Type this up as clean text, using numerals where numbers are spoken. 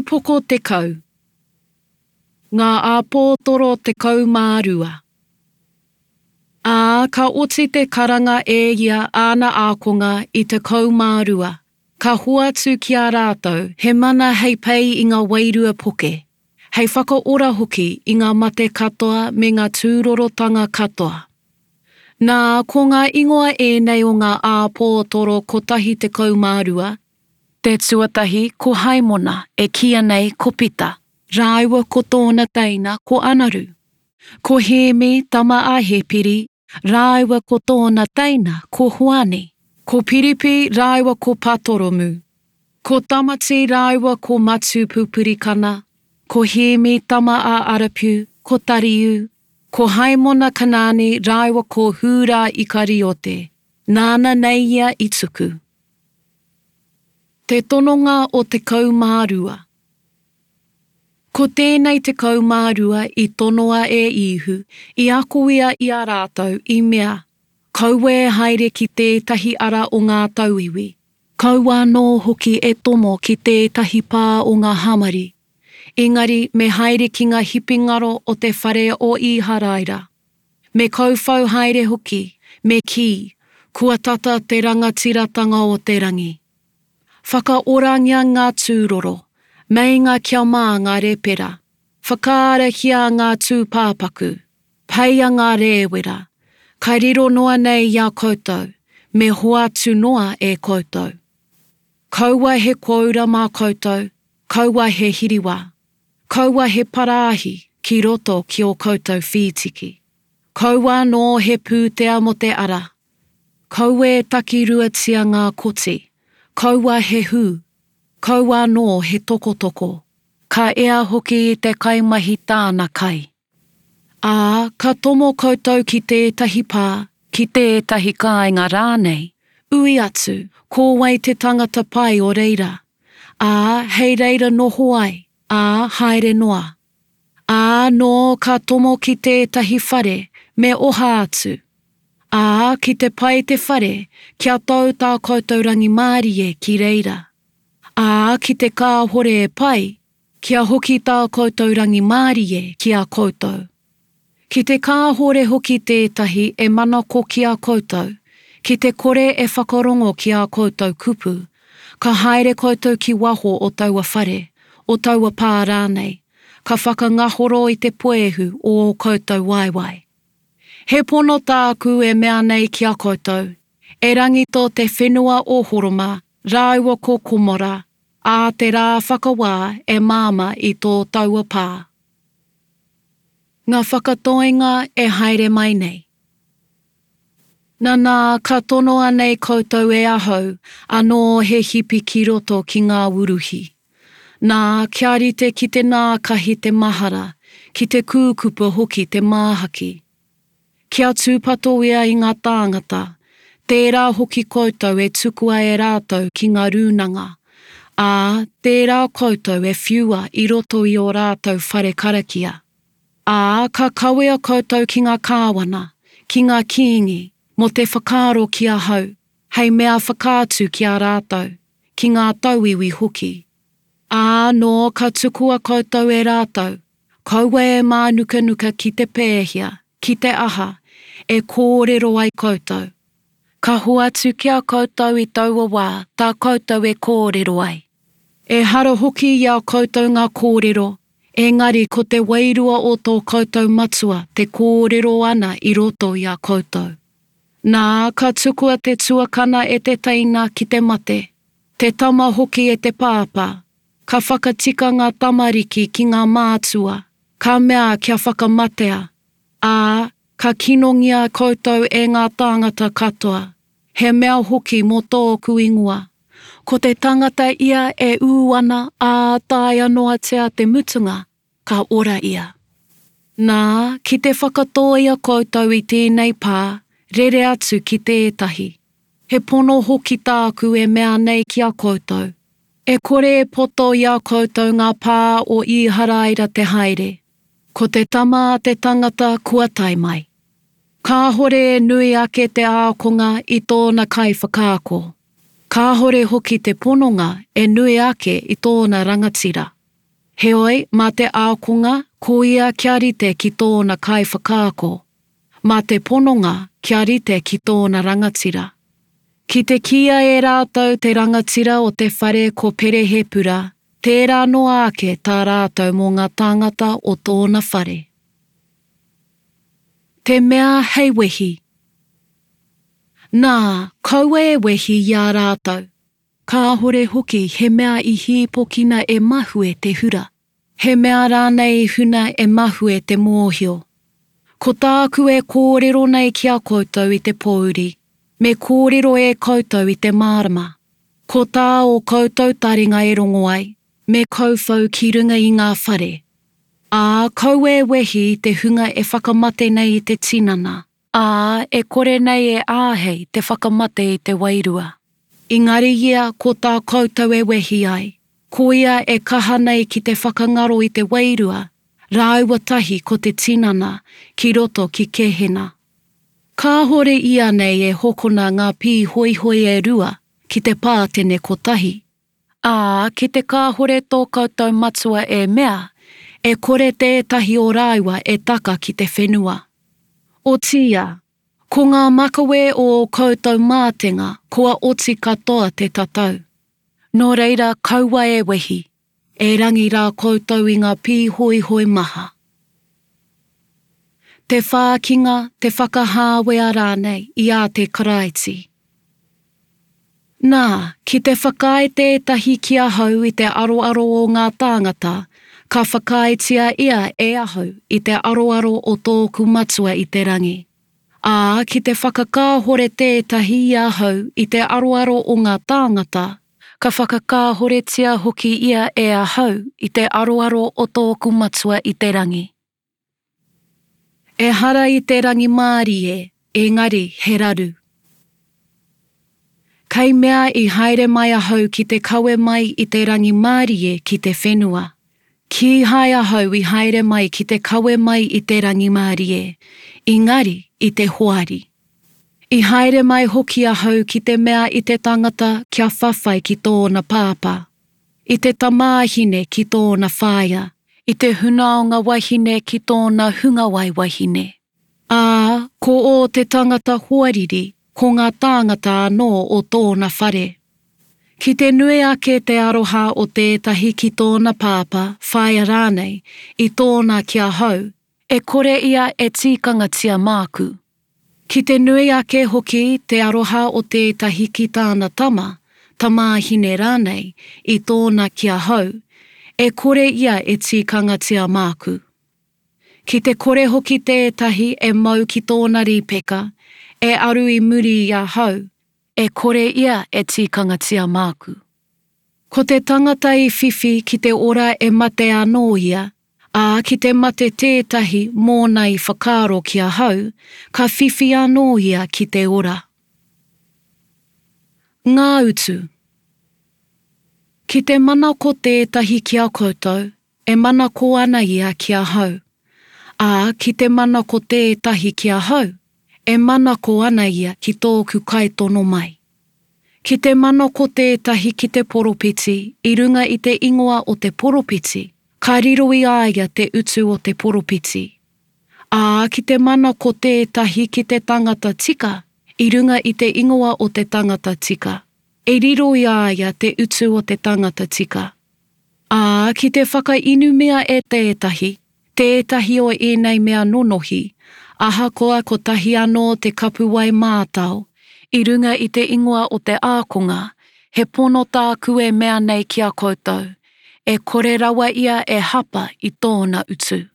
Upoko 10. Ngā Āpōtoro 12. Ā, ka oti te karanga e ia āna ākonga i 12, ka hoatu ki a rātou he mana hei pei i ngā wairua poke, hei whakaora hoki i ngā mate katoa me ngā tūrorotanga katoa. Nā, ko ngā ingoa ēnei o ngā āpōtoro kotahi 12, Te tuatahi ko Haimona e kīia nei ko Pita, rāua ko tōna teina ko Anaru. Ko Hēmi tama a Hepiri, rāua ko tōna teina ko Hoani. Ko Piripi rāua ko Patoromu. Ko Tamati rāua ko Matu Pupurikana, ko Hēmi tama a Arapiu, ko Tariu, ko Haimona Kanaani rāua ko Hūrā Ikariote, nāna nei ia i tuku. Te tononga o 12. Ko tēnei 12 i tonoa e Īhu, i ako ia i a rātou, i mea, Kaua e haere ki tētahi ara o ngā tauiwi, kaua anō hoki e tomo ki tētahi pā o ngā Hamari, engari me haere ki ngā hipi ngaro o te whare o Īharaira. Me kauwhau haere hoki, me kī, Kua tata te rangatiratanga o te rangi. Whakaorangia ngā tūroro, meinga kia mā ngā repera, whakaarahia ngā tūpāpaku, peia ngā rēwera, ka riro noa nei i a koutou, me hoatu noa e koutou. Kaua he kōura mā koutou, kaua he hiriwā. Kaua he parāhi ki roto ki ō koutou whītiki. Kaua anō he pūtea mō te ara. Kaua e takiruatia ngā koti. Kaua he hū. Kaua anō he tokotoko. Ka ea hoki i te kaimahi tāna kai. Ā, ka tomo koutou ki tētahi pā, ki tētahi kāinga rānei, ui atu, ko wai te tangata pai o reira? Ā, hei reira noho ai, ā, haere noa. Ā, nō ka tomo ki tētahi whare, me oha atu. Ā, ki te pai te whare, kia tau tā koutou rangimārie ki reira. Ā, ki te kāhore e pai, Kia hoki tā koutou rangimārie ki a koutou. Ki te kāhore hoki tētahi e manako ki a koutou, ki te kore e whakarongo ki ā koutou kupu, ka haere koutou ki waho o taua whare, o taua pā rānei, ka whakangahoro i te puehu o ō koutou waewae. He pono tāku e mea nei ki a koutou, erangi tō te whenua o Horoma rāua ko Komora, ā te rā whakawā e māmā i tō taua pā. Ngā whakatoinga e haere mai nei. Nanā, ka tonoa nei koutou e ahau, anō he hipi ki roto ki ngā wuruhi. Nā, kia rite ki te nākahi te mahara, ki te kūkupa hoki te māhaki. Kia tūpato ia i ngā tāngata, tērā hoki koutou e tukua e rātou ki ngā rūnanga, ā, tērā koutou e whiua i roto i ō rātou whare karakia. Ā, ka kawea koutou ki ngā kāwana, ki ngā kīngi, mō te whakaaro ki ahau, hei mea whakaatu ki a rātou, ki ngā tauiwi hoki. Ā, nō ka tukua koutou e rātou, Kaua e mānukanuka ki te pēhea, ki te aha, e kōrero ai koutou. Ka hoatu ki a koutou i taua wā tā koutou e kōrero ai. Ehara hoki i a koutou ngā kōrero, engari ko te Wairua o tō koutou Matua te kōrero ana i roto i a koutou. Nā, ka tukua te tuakana e te teina ki te mate, te tama hoki e te pāpā, Ka whakatika ngā tamariki ki ngā mātua, ka mea kia whakamatea, ā, ka kinongia koutou e ngā tāngata katoa, he mea hoki mō tōku ingoa. Ko te tangata ia e ū ana ā taea noatia te mutunga, ka ora ia. Nā, ki te whakatōia koutou i tēnei pā, rere atu ki tētahi. He pono hoki tāku e mea nei ki a koutou, e kore e poto i a koutou ngā pā o Īharaira te haere, ko te Tama a te tangata kua tae mai. Kāhore e nui ake te ākonga i tōna kaiwhakaako, kāhore hoki te pononga e nui ake i tōna rangatira. Heoi, mā te ākonga, ko ia kia rite ki tōna kaiwhakaako, mā te pononga kia rite ki tōna rangatira. Ki te kīia e rātou te rangatira o te whare ko Perehepura, tērā noa ake tā rātou mō ngā tāngata o tōna whare. Te mea hei wehi. Nā, kaua e wehi i a rātou. Kāhore hoki he mea i hīpokina e mahue te hura, he mea rānei i huna e mahue te mōhio. Ko tāku e kōrero nei ki a koutou i te pōuri, me kōrero e koutou i te mārama. Ko tā ō koutou taringa e rongo ai, me kauwhau ki runga i ngā whare. Ā, kaua e wehi i te hunga e whakamate nei i te tinana. Ā, e kore nei e āhei te whakamate i te wairua. Engari ia ko tā koutou e wehi ai, ko ia e kaha nei ki te whakangaro i te wairua, rāua tahi ko te tinana, ki roto ki Kehena. Kāhore ianei e hokona ngā pīhoihoi e rua ki te pātene kotahi? Ā, ki te kāhore tō koutou Matua e mea, e kore tētahi o rāua e taka ki te whenua. Otiia, ko ngā makawe o ō koutou mātenga kua oti katoa te tatau. Nō reira kaua e wehi, erangi rā koutou i ngā pīhoihoi maha. Te whākinga, te whakahāwea rānei i a te Karaiti. Nā, ki te whakaae tētahi ki ahau i te aroaro o ngā tāngata, ka whakaaetia ia e ahau i te aroaro o tōku Matua i te rangi. Ā, ki te whakakāhore tētahi i ahau i te aroaro o ngā tāngata, ka whakakāhoretia hoki ia e ahau i te aroaro o tōku Matua i te rangi. Ehara i te rangimārie, engari he raru. Kei mea i haere mai ahau ki te kawe mai i te rangimārie ki te whenua. Kīhai ahau i haere mai ki te kawe mai i te rangimārie, engari i te hoari. I haere mai hoki ahau ki te mea i te tangata kia whawhai ki tōna pāpā. I te tamāhine ki tōna whaea. I te hunaonga wahine ki tōna hungawai wahine. Ā, ko ō te tangata hoariri, ko ngā tāngata anō o tōna whare. Ki te nui ake te aroha o tētahi ki tōna pāpā, whaea rānei, i tōna ki ahau, e kore ia e tīkangatia māku. Ki te nui ake hoki te aroha o tētahi ki tāna tama, tamāhine rānei, i tōna ki ahau, e kore ia e tīkangatia māku. Ki te kore hoki tētahi e mau ki tōna rīpeka, e aru i muri i ahau, e kore ia e tīkangatia māku. Ko te tangata i whiwhi ki te ora e mate anō ia, Ā, ki te mate tētahi mōna i whakaaro ki ahau, ka whiwhi anō ia ki te ora. Ngā utu. Ki te manako tētahi ki a koutou, e manako ana ia ki ahau. Ā, ki te manako tētahi ki ahau, e manako ana ia ki tōku kaitono mai. Ki te manako tētahi ki te poropiti i runga i te ingoa o te poropiti, ka riro i a ia te utu o te poropiti. Ā, ki te manako tētahi ki te tangata tika i runga i te ingoa o te tangata tika, e riro i a ia te utu o te tangata tika. Ā, ki te whakainumia e tētahi, tētahi o ēnei mea nonohi, ahakoa kotahi anō te kapuwai mātao, i runga i te ingoa o te ākonga, he pono tāku e mea nei ki a koutou, e kore rawa ia e hapa i tōna utu.